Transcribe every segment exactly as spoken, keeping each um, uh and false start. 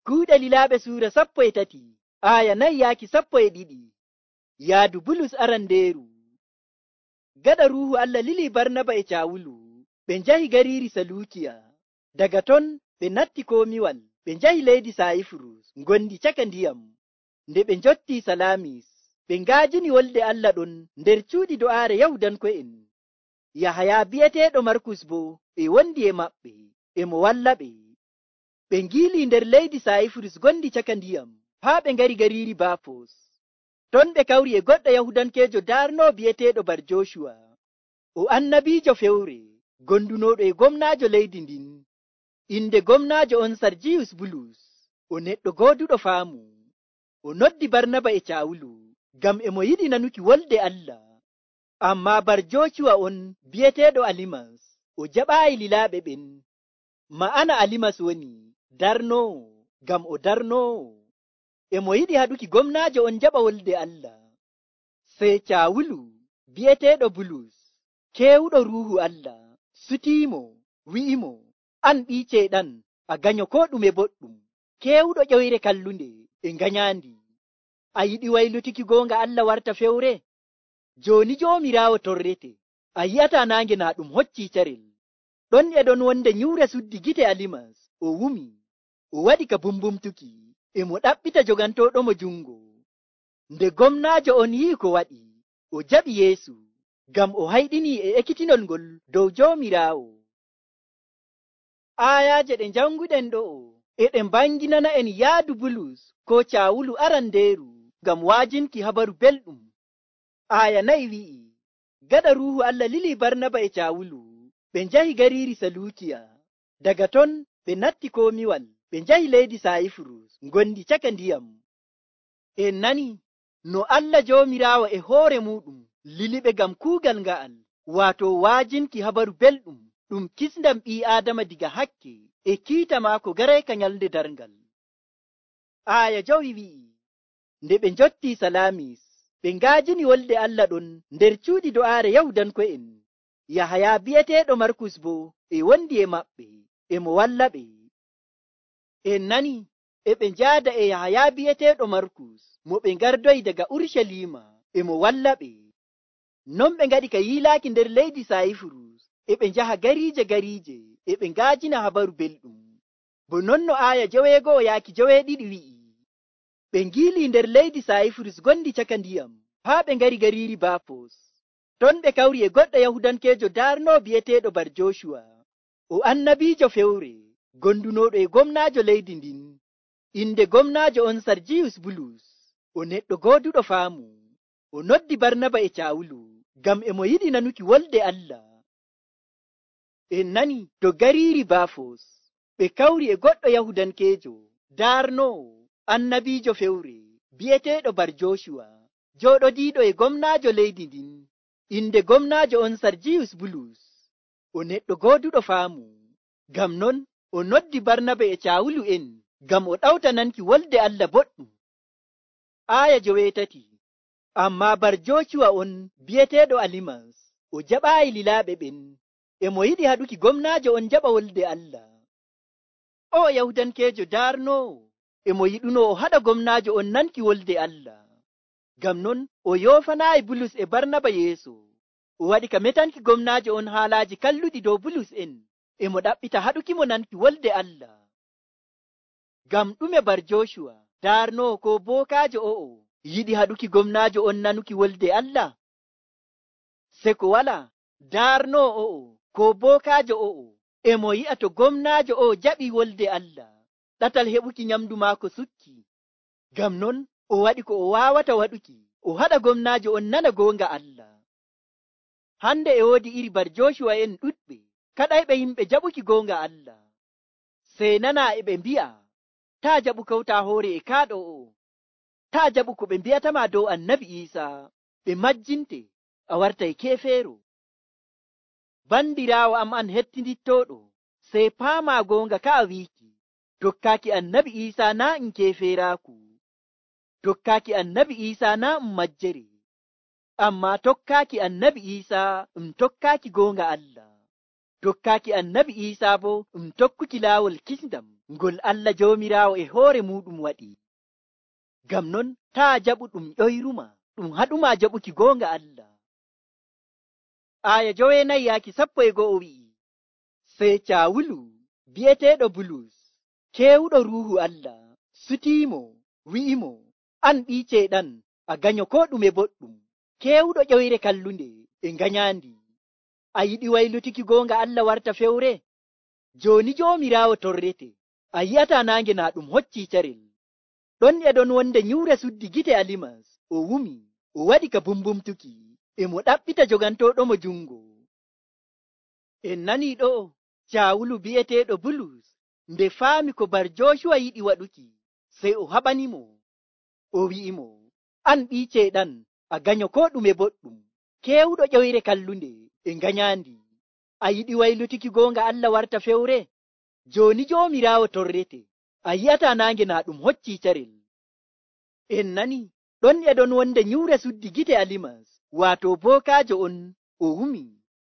Kuuɗe Lilaaɓe suura sappo e tati, aaya nayi yaaki sappo e ɗiɗi. Yaadu Bulus arandeeru. Gaɗa Ruuhu Allah lili Barnaba e Caawulu, ɓe njahi gariiri Saluukiya. Daga ton ɓe natti komiwal, ɓe njahi leydi Sayifurus ngondi caka ndiyam. Nde ɓe njottii Salaamis, ɓe ngaajini wolde Allah ɗon nder cuuɗi do'aare Yahudanko'en. Yahaya bi'eteeɗo Markus boo e wondi e maɓɓe, e mo walla ɓe. Ɓe ngiilii nder leydi Sayifurus gondi caka ndiyam, haa ɓe ngari gariiri Baafos. Ton ɓe kawri e goɗɗo Yahudankeejo daarnoo bi'eteeɗo Bar Jooshuwa, o annabiijo fewre, gondunooɗo e gomnaajo leydi ndin. Inde gomnaajo on Sarjiyus Bulus, o neɗɗo gooduɗo faamu. O noddi Barnaba e Caawulu, ngam e mo yiɗi nanuki wolde Allah. Ammaa Bar Jooshuwa on bi'eteeɗo Alimas, o jaɓaayi lilaaɓe ɓen. Ma'ana Alimas woni darnoowo, ngam o darnoowo. E mo yiɗi haɗuki gomnaajo on jaɓa wolde Allah. Sey Caawulu bi'eteeɗo Bulus, keewuɗo Ruuhu Allah, sutiimo, wi'imo, an ɓii ceyɗan, a ganyo koo ɗume boɗɗum, keewuɗo ƴoyre kallunde e nganyaandi. A yiɗi waylutuki goonga Allah warta fewre? Jooni Joomiraawo torrete, a yi'ataa naange naa ɗum hoccii carel. Ɗon e ɗon wonde nyuure suddi gite Alimas, o wumi, o waɗi ka bumbumtuki, e mo ɗaɓɓita jogantooɗomo jungo. Nde gomnaajo on yi'i ko waɗi, o jaɓi Yeesu, ngam o hayɗinii e ekkitinol ngol dow Joomiraawo. Aayaaje ɗe njanguɗen ɗo'o e ɗe mbanginana en yaadu Bulus ko Caawulu arandeeru ngam waajinki habaru belɗum. Aaya nayi wi'i, gaɗa Ruuhu Allah lili Barnaba e Caawulu, ɓe njahi gariiri Saluukiya. Daga ton ɓe natti komiwal, ɓe njahi leydi Sayifurus ngondi caka ndiyam. En nani no Allah Joomiraawo e hoore muɗum liliɓe ngam kuugal nga'al, waato waajinki habaru belɗum ɗum kisndam ɓii Aadama diga hakke e kiita maako garayka nyalnde darngal. Aaya jowi wi'i, nde ɓe njottii Salaamis, ɓe ngaajini wolde Allah ɗon nder cuuɗi do'aare Yahudanko'en. Yahaya bi'eteeɗo Markus boo e wondi e maɓɓe, e mo walla ɓe. En nani e ɓe njaada e Yahaya bi'eteeɗo Markus mo ɓe ngardoyi daga Urshalima, e mo walla ɓe. Non ɓe ngaɗi ka yiilaaki nder leydi Sayifurus, e ɓe njaha gariije gariije, e ɓe ngaajina habaru belɗum. Bo non no aaya joweego'o yaaki joweeɗiɗi wi'i, ɓe ngiilii nder leydi Sayifurus gondi caka ndiyam, haa ɓe ngari gariiri Baafos. Ton ɓe kawri e goɗɗo Yahudankeejo daarnoo bi'eteeɗo Bar Jooshuwa, o annabiijo fewre, gondunooɗo e gomnaajo leydi ndin. Inde gomnaajo on Sarjiyus Bulus, o neɗɗo gooduɗo faamu. O noddi Barnaba e Caawulu, ngam e mo yiɗi nanuki wolde Allah. En nani to gariiri Baafos, ɓe kawri e goɗɗo Yahudankeejo daarnoowo, annabiijo fewre, bi'eteeɗo Bar Jooshuwa, jooɗodiiɗo e gomnaajo leydi ndin. Inde gomnaajo on Sarjiyus Bulus, o neɗɗo gooduɗo faamu. Ngam non o noddi Barnaba e Caawulu en, ngam o ɗawta nanki wolde Allah boɗɗum. Aaya joweetati. Ammaa Bar Jooshuwa on bi'eteeɗo Alimas, o jaɓaayi lilaaɓe ɓen, e mo yiɗi haɗuki gomnaajo on jaɓa wolde Allah. O Yahudankeejo daarnoowo, e mo yiɗuno o haɗa gomnaajo on nanki wolde Allah. Ngam non o yoofanaayi Bulus e Barnaba yeeso, o waɗi ka metanki gomnaajo on haalaaji kalluɗi dow Bulus en, e mo ɗaɓɓita haɗukimo nanki wolde Allah. Ngam ɗume Bar Jooshuwa daarnoowo ko bookaajo o'o yiɗi haɗuki gomnaajo on nanuki wolde Allah? Seko wala daarnoowo o'o ko bookaajo o'o e mo yi'a to gomnaajo o'o jaɓi wolde Allah, ɗatal heɓuki nyamdu maako sukki. Ngam non o waɗi ko o waawata waɗuki, o haɗa gomnaajo on nana goonga Allah. Hande e woodi iri Bar Jooshuwa en ɗuɗɓe kaɗayɓe yimɓe jaɓuki goonga Allah. Sey nana e ɓe mbi'a, taa jaɓu kawta hoore e kaaɗo o'o, taa jaɓu ko ɓe mbi'atama dow Annabi Iisaa, ɓe majjinte, a wartay keefeero. Bandiraawo am an hettindittooɗo, sey paamaa goonga ka a wiiki, tokkaaki Annabi Iisaa naa um keefeeraaku. Tokkaaki Annabi Iisaa naa um majjere, ammaa tokkaaki Annabi Iisaa um tokkaaki goonga Allah. Tokkaaki Annabi Iisaa boo um tokkuki laawol kisndam. ngol Allah Joomiraawo e hoore muuɗum waɗi. Ngam non taa jaɓu ɗum ƴoyruma, ɗum haɗuma jaɓuki goonga Allah. Aya joweenayi yaaki sappo e go'o wi'i, sey Caawulu bi'eteeɗo Bulus, keewuɗo Ruuhu Allah, sutiimo, wi'imo, an ɓii ceyɗan, a ganyo koo ɗume boɗɗum, keewuɗo ƴoyre kallunde e nganyaandi. A yiɗi waylutuki goonga Allah warta fewre? Jooni Joomiraawo torrete, a yi'ataa naange naa ɗum hoccii carel. Ɗon e ɗon wonde nyuure suddi gite Alimas, o wumi, o waɗi ka bumbumtuki, e mo ɗaɓɓita jogantooɗomo jungo. En nanii ɗo, Caawulu bi'eteeɗo Bulus, nde faami ko Bar Jooshuwa yiɗi waɗuki, sey o haɓanimo. O wi'imo, an ɓii ceyɗan, a ganyo koo ɗume boɗɗum, keewuɗo ƴoyre kallunde e nganyaandi. A yiɗi waylutuki goonga Allah warta fewre? Jooni Joomiraawo torrete, a yi'ataa naange naa ɗum hoccii carel. En nani, ɗon e ɗon wonde nyuure suddi gite Alimas, waato bookaajo on, o wumi,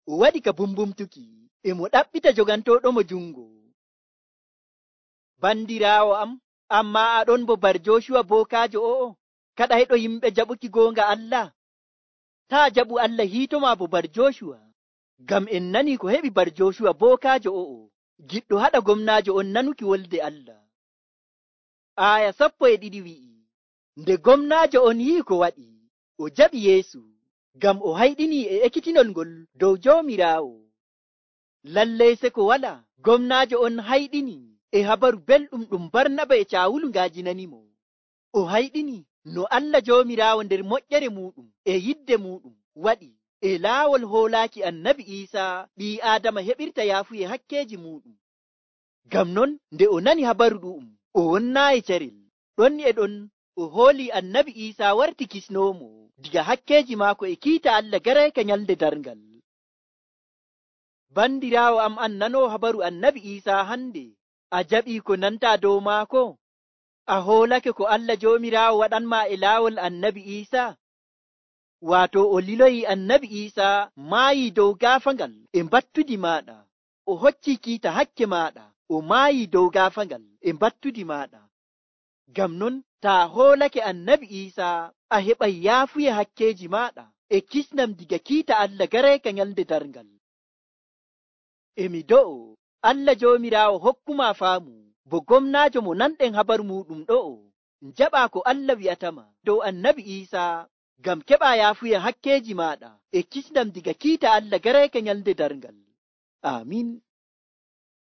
o waɗi ka bumbumtuki, e mo ɗaɓɓita jogantooɗomo jungo. Bandiraawo am, ammaa aɗon bo Bar Jooshuwa bookaajo o'o, kaɗayɗo yimɓe jaɓuki goonga Allah. Taa jaɓu Allah hiitoma bo Bar Jooshuwa, ngam en nanii ko heɓi Bar Jooshuwa bookaajo o'o, giɗɗo haɗa gomnaajo on nanuki wolde Allah. Aya sappo e ɗiɗi wi'i, nde gomnaajo on yi'i ko waɗi, o jaɓi Yeesu, ngam o hayɗinii e ekkitinol ngol dow Joomiraawo. Lallay seko wala, gomnaajo on hayɗini e habaru belɗum ɗum Barnaba e Caawulu ngaajinanimo. O hayɗini no Allah Joomiraawo nder moƴƴere muuɗum e yidde muuɗum waɗi e laawol hoolaaki Annabi Iisaa ɓii Aadama heɓirta yaafuye hakkeeji muuɗum. Ngam non nde o nani habaru ɗu'um, o wonnaayi carel. Ɗon e ɗon o hoolii Annabi Iisaa warti kisnoomo diga hakkeeji maako e kiita Allah garayka nyalde darngal. Bandiraawo am, an nanoo habaru Annabi Iisaa hande, a jaɓii ko nantaa dow maako? A hoolake ko Allah Joomiraawo waɗanma e laawol Annabi Iisaa? Waato o liloyi Annabi Iisaa maayii dow gaafangal e mbattudi maaɗa, o hoccii kiita hakke maaɗa, o maayii dow gaafangal e mbattudi maaɗa. Ngam non taa hoolake Annabi Iisaa, a heɓay yaafuye hakkeeji maaɗa e kisnam diga kiita Allah garayka nyalde darngal. Emi do'o, Allah Joomiraawo hokkuma faamu, bo gomnaajo mo nanɗen habaru muuɗum ɗo'o, njaɓaa ko Allah wi'atama dow Annabi Iisaa, ngam keɓaa yaafuye hakkeeji maaɗa e kisnam diga kiita Allah garayka nyalde darngal. Aamin.